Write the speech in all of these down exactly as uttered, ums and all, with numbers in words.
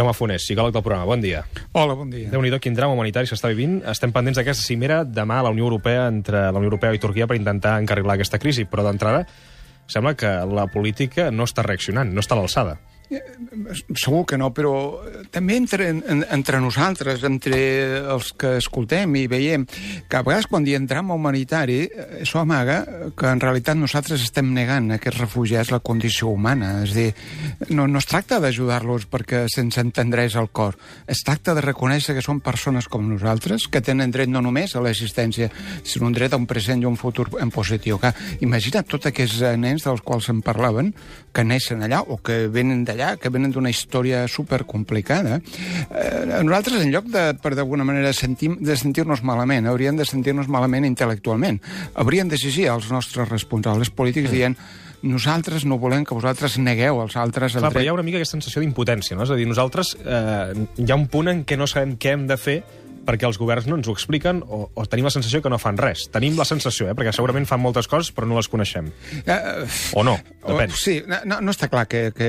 Jaume Fonés, psicòleg del programa, bon dia. Hola, bon dia. Déu-n'hi-do, quin drama humanitari s'està vivint. Estem pendents d'aquesta cimera demà a la Unió Europea entre la Unió Europea i Turquia per intentar encarrilar aquesta crisi, però d'entrada sembla que la política no està reaccionant, no està a l'alçada. Segur que no, però també entre, entre nosaltres, entre els que escoltem i veiem, que a vegades quan diem drama humanitari, això amaga que en realitat nosaltres estem negant a aquests refugiats la condició humana. És a dir, no, no es tracta d'ajudar-los perquè se'ns entendreix el cor. Es tracta de reconèixer que són persones com nosaltres, que tenen dret no només a l'existència, sinó un dret a un present i un futur en positiu. Que, imagina't tots aquests nens dels quals en parlaven, que neixen allà o que venen d'allà, que venen d'una història supercomplicada. Eh, nosaltres, en lloc de, per d'alguna manera, sentir, de sentir-nos malament, hauríem de sentir-nos malament intel·lectualment. Hauríem d'exigir als nostres responsables polítics dient nosaltres no volem que vosaltres negueu als altres el Clar, dret. però hi ha una mica aquesta sensació d'impotència, no? És a dir, nosaltres eh, hi ha un punt en què no sabem què hem de fer perquè els governs no ens ho expliquen o, o tenim la sensació que no fan res. Tenim la sensació, eh? Perquè segurament fan moltes coses però no les coneixem. Uh, o no, depèn. O, sí, no, no està clar que, que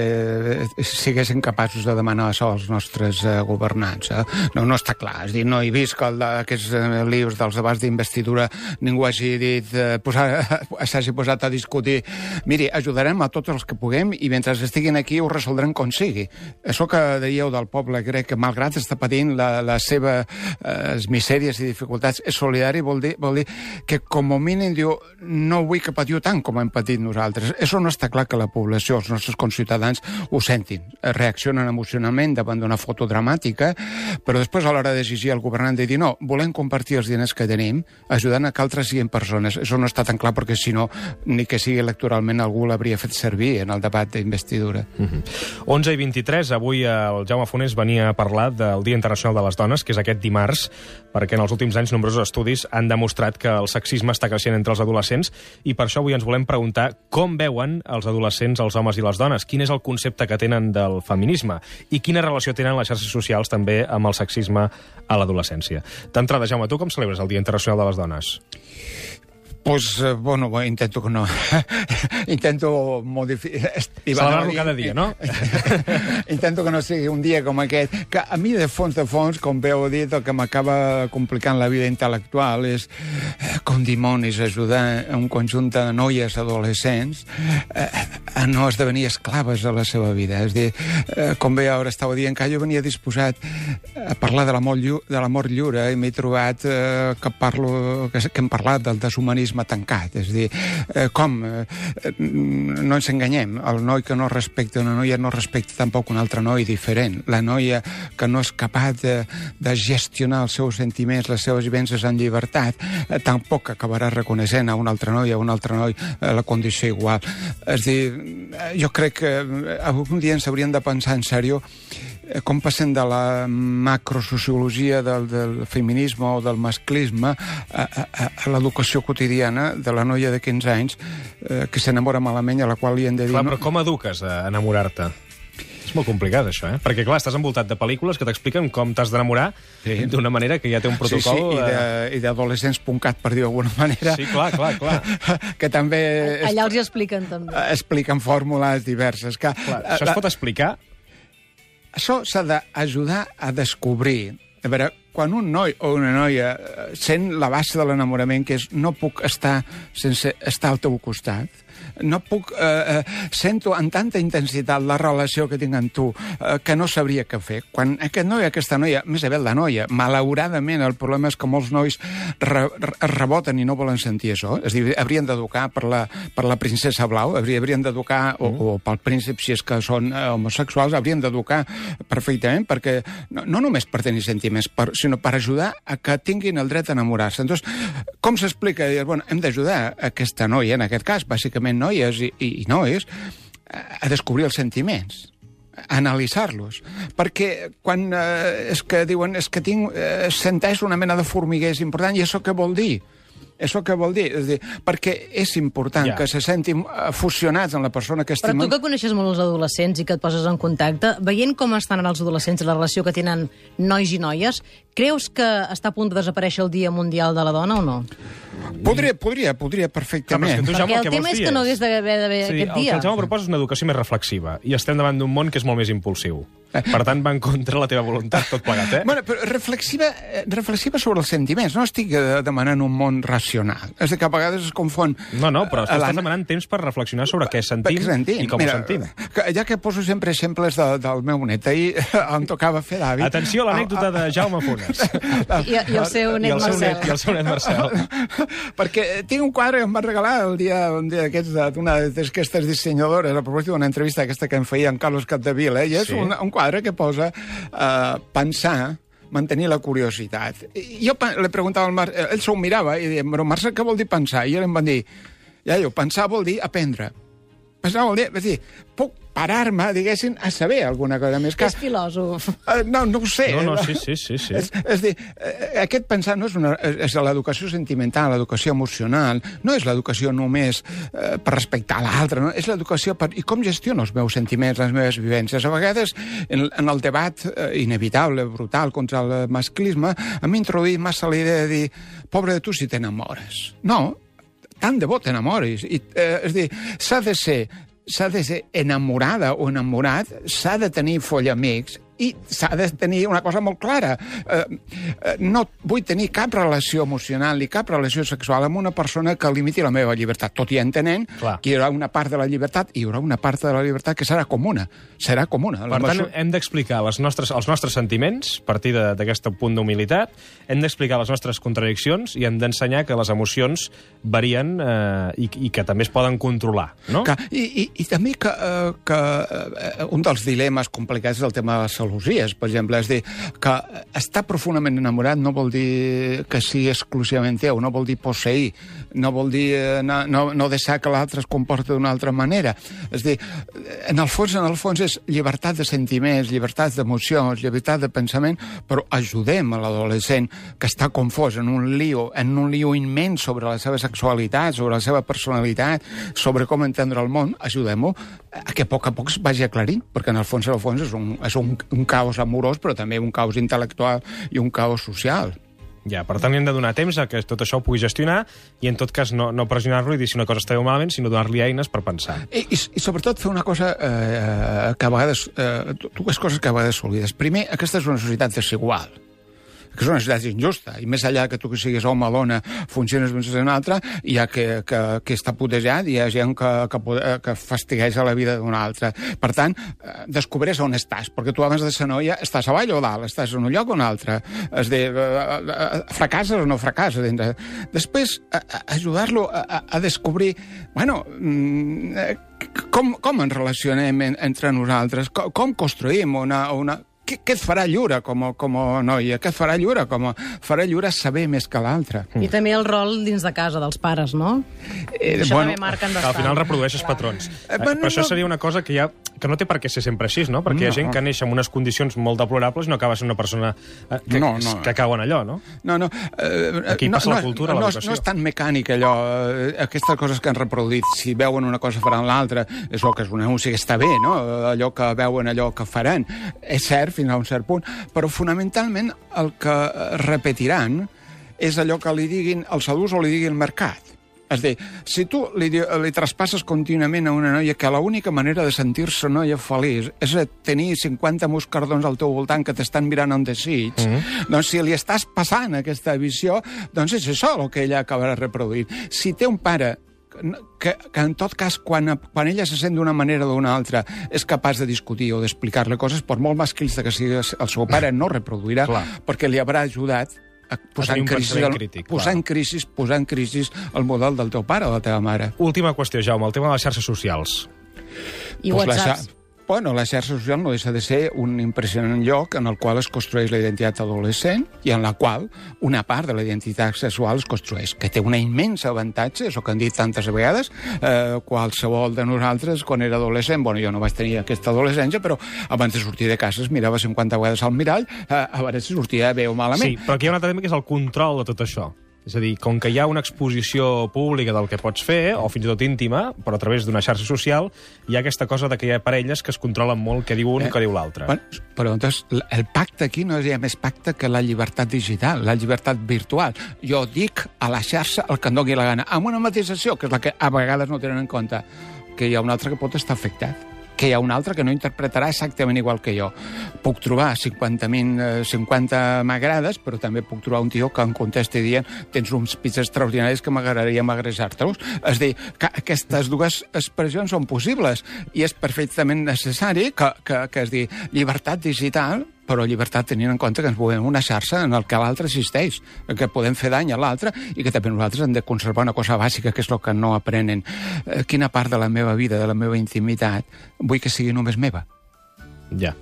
siguessin capaços de demanar això als nostres uh, governants. Eh? No, no està clar. És dir, no he vist que el d'aquests uh, libres dels debats d'investidura ningú hagi dit, uh, posar, s'hagi posat a discutir. Miri, ajudarem a tots els que puguem i mentre estiguin aquí ho resoldrem com sigui. Això que dèieu del poble grec, que malgrat està patint la, la seva les misèries i dificultats, és solidari, vol dir, vol dir que com a mínim diu no vull que patiu tant com hem patit nosaltres. Això no està clar que la població, els nostres conciutadans, ho sentin. Reaccionen emocionalment davant d'una foto dramàtica, però després a l'hora d'exigir al governant de dir no, volem compartir els diners que tenim, ajudant a que altres siguin persones. Això no està tan clar perquè si no, ni que sigui electoralment algú l'hauria fet servir en el debat d'investidura. Mm-hmm. onze i vint-i-tres, avui el Jaume Fonés venia a parlar del Dia Internacional de les Dones, que és aquest dimarts, perquè en els últims anys nombrosos estudis han demostrat que el sexisme està creixent entre els adolescents i per això avui ens volem preguntar com veuen els adolescents, els homes i les dones, quin és el concepte que tenen del feminisme i quina relació tenen les xarxes socials també amb el sexisme a l'adolescència. D'entrada, Jaume, tu com celebres el Dia Internacional de les Dones? Pues, eh, bueno, intento que no... intento modificar... Celebrar-lo cada dia, no? Intento que no sigui un dia com aquest, que a mi, de fons de fons, com bé heu dit, el que m'acaba complicant la vida intel·lectual és, eh, com dimonis, ajudar un conjunt de noies adolescents eh, a no esdevenir esclaves de la seva vida. És a dir, eh, com bé ara estava dient, que jo venia disposat a parlar de l'amor lliure, de l'amor lliure i m'he trobat eh, que, parlo, que, que hem parlat del deshumanisme tancat, és a dir, eh, com eh, no ens enganyem, el noi que no respecta una noia no respecta tampoc un altre noi diferent, la noia que no és capaç de, de gestionar els seus sentiments, les seves vivències en llibertat, eh, tampoc acabarà reconeixent a un altre noi, a un altre noi eh, la condició igual. És a dir, jo crec que algun dia ens hauríem de pensar en sèrio com passem de la macrosociologia del, del feminisme o del masclisme a, a, a l'educació quotidiana de la noia de quinze anys eh, que s'enamora malament i a la qual li hem de dir... Clar, però com eduques a enamorar-te? És molt complicat, això, eh? Perquè, clar, estàs envoltat de pel·lícules que t'expliquen com t'has d'enamorar sí. d'una manera que ja té un protocol... Sí, sí, i d'adolescents puncat, per dir d'alguna manera. Sí, clar, clar, clar. Que també... Allà els hi expliquen, també. Expliquen fórmules diverses. Que, clar, això es pot explicar? Això s'ha d'ajudar a descobrir. A veure, quan un noi o una noia sent la base de l'enamorament, que és no puc estar sense estar al teu costat, no puc... Eh, eh, sento amb tanta intensitat la relació que tinc amb tu eh, que no sabria què fer. Quan aquest noi, aquesta noia, més aviat la noia, malauradament el problema és que molts nois re, re, reboten i no volen sentir això. És a dir, haurien d'educar per, la, per la princesa blau, haurien d'educar, mm. o, o pel príncep, si és que són eh, homosexuals, haurien d'educar perfectament, perquè no, no només per tenir sentiments, per, sinó per ajudar a que tinguin el dret a enamorar-se. Entonces, com s'explica? Bueno, hem d'ajudar aquesta noia, en aquest cas, bàsicament noies i, i, i nois, a descobrir els sentiments, a analitzar-los. Perquè quan eh, és que diuen és que tinc, eh, senteix una mena de formiguers important, i això què vol dir? Això què vol dir? És dir, perquè és important ja. que se sentin fusionats en la persona que estimen... Però tu que coneixes molt els adolescents i que et poses en contacte, veient com estan els adolescents i la relació que tenen nois i noies, creus que està a punt de desaparèixer el Dia Mundial de la Dona o no? Podria, podria, podria perfectament. Clar, tu, Jaume, perquè el, el tema és que no hagués d'haver d'haver sí, aquest dia. El que el Jaume proposa és una educació més reflexiva, i estem davant d'un món que és molt més impulsiu. Per tant, va en contra la teva voluntat, tot plegat, eh? Bueno, però reflexiva, reflexiva sobre els sentiments. No estic demanant un món racional. És que a vegades es confon... No, no, però estàs demanant temps per reflexionar sobre què sentim, sentim. i com Mira, ho sentim. Ja que poso sempre exemples de, del meu net, ahir em tocava fer d'avi. Atenció a l'anècdota de Jaume Funes. I, I el seu net Marcel. I el seu net Marcel. Perquè tinc un quadre que em va regalar el dia, un dia d'aquests d'una d'aquestes dissenyadores, a propòsit d'una entrevista aquesta que em feia en Carlos Capdevila, i és sí. un, un quadre que posa uh, pensar, mantenir la curiositat. I jo li preguntava al Marcel, ell s'ho mirava i deia, però Marcel, què vol dir pensar? I ell em va dir, ja, jo, pensar vol dir aprendre. Pensar vol dir, és dir, puc parar-me, diguéssim, a saber alguna cosa més. Que... És filòsof. Uh, no, no ho sé. No, no, sí, sí, sí. sí. És, és dir, aquest pensar no és, una, és l'educació sentimental, l'educació emocional, no és l'educació només eh, per respectar l'altre, no? És l'educació per... I com gestiono els meus sentiments, les meves vivències? A vegades, en, en el debat eh, inevitable, brutal, contra el masclisme, hem introduït massa la idea de dir, pobre de tu si t'enamores. No, tant de bo t'enamoris. I, eh, és dir, s'ha de ser s'ha de ser enamorada o enamorat, s'ha de tenir follamics i s'ha de tenir una cosa molt clara. Eh, eh, no vull tenir cap relació emocional ni cap relació sexual amb una persona que limiti la meva llibertat, tot i entenent Clar. que hi haurà una part de la llibertat i hi haurà una part de la llibertat que serà comuna. Serà comuna. Per tant, hem d'explicar les nostres, els nostres sentiments, a partir d'aquest punt d'humilitat, hem d'explicar les nostres contradiccions i hem d'ensenyar que les emocions varien eh, i, i que també es poden controlar, no? Que, i, i, I també que, eh, que eh, un dels dilemes complicats és el tema de la salut. Per exemple, és dir, que estar profundament enamorat no vol dir que sigui exclusivament teu, no vol dir posseir, no vol dir no, no, no deixar que l'altre es comporti d'una altra manera. És dir, en el fons, en el fons és llibertat de sentiments, llibertat d'emocions, llibertat de pensament, però ajudem a l'adolescent que està confós en un lío, en un lío immens sobre la seva sexualitat, sobre la seva personalitat, sobre com entendre el món, ajudem-ho a que a poc a poc es vagi aclarint, perquè en el fons, en el fons és un, és un, un caos amorós, però també un caos intel·lectual i un caos social. Ja, per tant, hem de donar temps a que tot això ho pugui gestionar i, en tot cas, no, no pressionar-lo i dir si una cosa està bé o malament, sinó donar-li eines per pensar. I, i, i sobretot, fer una cosa eh, que a vegades... Eh, dues coses que a vegades s'oblides. Primer, aquesta és una societat desigual, que és una societat injusta, i més enllà que tu que siguis home o dona, funciones més en una altra, hi ha que, que, que està putejat, hi ha gent que, que, que fastigueja la vida d'una altra. Per tant, descobreix on estàs, perquè tu abans de ser noia estàs avall o dalt, estàs en un lloc o un altre. És dir, fracasses o no fracasses. Després, ajudar-lo a, a descobrir, bueno, com, com ens relacionem entre nosaltres, com, com construïm una... una Què, què et farà lliure com a, com a noia? Què et farà lliure? Com a, farà lliure saber més que l'altre. I també el rol dins de casa dels pares, no? Eh, això bueno, també marquen bastant. Al final reprodueixes patrons. Eh, però no, això seria una cosa que, ja, que no té per què ser sempre així, no? Perquè no. Hi ha gent que neix en unes condicions molt deplorables i no acaba sent una persona que, no, no. que cau en allò, no? No, no. Eh, Aquí no, passa no, la cultura, no, l'educació. No és tan mecànic allò. Aquestes coses que han reproduït, si veuen una cosa faran l'altra, és el que és un anunci que està bé, no? Allò que veuen, allò que faran. És cert, fins a un cert punt, però fonamentalment el que repetiran és allò que li diguin els adults o li digui el mercat. És a dir, si tu li, li traspasses contínuament a una noia que l'única manera de sentir-se noia feliç és tenir cinquanta moscardons al teu voltant que t'estan mirant amb desig, mm-hmm. doncs si li estàs passant aquesta visió, doncs és això el que ella acabarà reproduint. Si té un pare que, que en tot cas, quan, quan ella se sent d'una manera o d'una altra, és capaç de discutir o d'explicar-li coses, per molt masclista que sigui el seu pare, no reproduirà, Clar. perquè li haurà ajudat a posar, en crisi, el, crític, posar en crisi posar en crisi el model del teu pare o de la teva mare. Última qüestió, Jaume, el tema de les xarxes socials. I pues WhatsApp. La, bueno, la xarxa social no deixa de ser un impressionant lloc en el qual es construeix la identitat adolescent i en la qual una part de la identitat sexual es construeix, que té una immensa avantatge, això que han dit tantes vegades, eh, qualsevol de nosaltres, quan era adolescent, bueno, jo no vaig tenir aquesta adolescència, però abans de sortir de casa es mirava cinquanta vegades al mirall, eh, a veure si sortia bé o malament. Sí, però aquí hi ha un altre tema que és el control de tot això. És a dir, com que hi ha una exposició pública del que pots fer, o fins i tot íntima, però a través d'una xarxa social, hi ha aquesta cosa de que hi ha parelles que es controlen molt què diu un i eh, què diu l'altre. Bueno, però doncs el pacte aquí no hi ha més pacte que la llibertat digital, la llibertat virtual. Jo dic a la xarxa el que em doni la gana, amb una mateisació, que és la que a vegades no tenen en compte, que hi ha un altre que pot estar afectat, que hi ha un altre que no interpretarà exactament igual que jo. Puc trobar cinquanta m'agrades, però també puc trobar un tio que em contesti dient tens uns pits extraordinaris que m'agradaria m'agressar-te-los. És a dir, que aquestes dues expressions són possibles i és perfectament necessari que, que, que és dir, llibertat digital, però llibertat tenint en compte que ens movem una xarxa en el que l'altre existeix, que podem fer dany a l'altre i que també nosaltres hem de conservar una cosa bàsica, que és el que no aprenen. Eh, quina part de la meva vida, de la meva intimitat, vull que sigui només meva? Ja.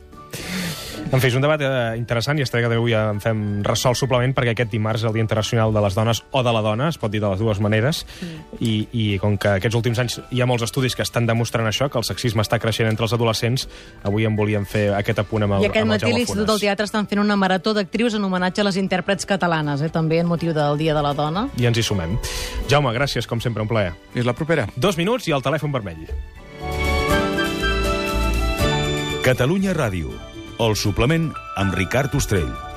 En fi, és un debat eh, interessant i estaré que avui en fem ressò al suplement perquè aquest dimarts és el Dia Internacional de les Dones o de la Dona, es pot dir de les dues maneres, mm. i, i com que aquests últims anys hi ha molts estudis que estan demostrant això, que el sexisme està creixent entre els adolescents, avui en volíem fer aquest apunt amb el, I aquest amb el matí Jaume l'Institut Funes. del Teatre estan fent una marató d'actrius en homenatge a les intèrprets catalanes, eh, també en motiu del Dia de la Dona. I ens hi sumem. Jaume, gràcies, com sempre, un plaer. Fins la propera. Dos minuts i el telèfon vermell. Catalunya Ràdio, el suplement amb Ricard Ostrell.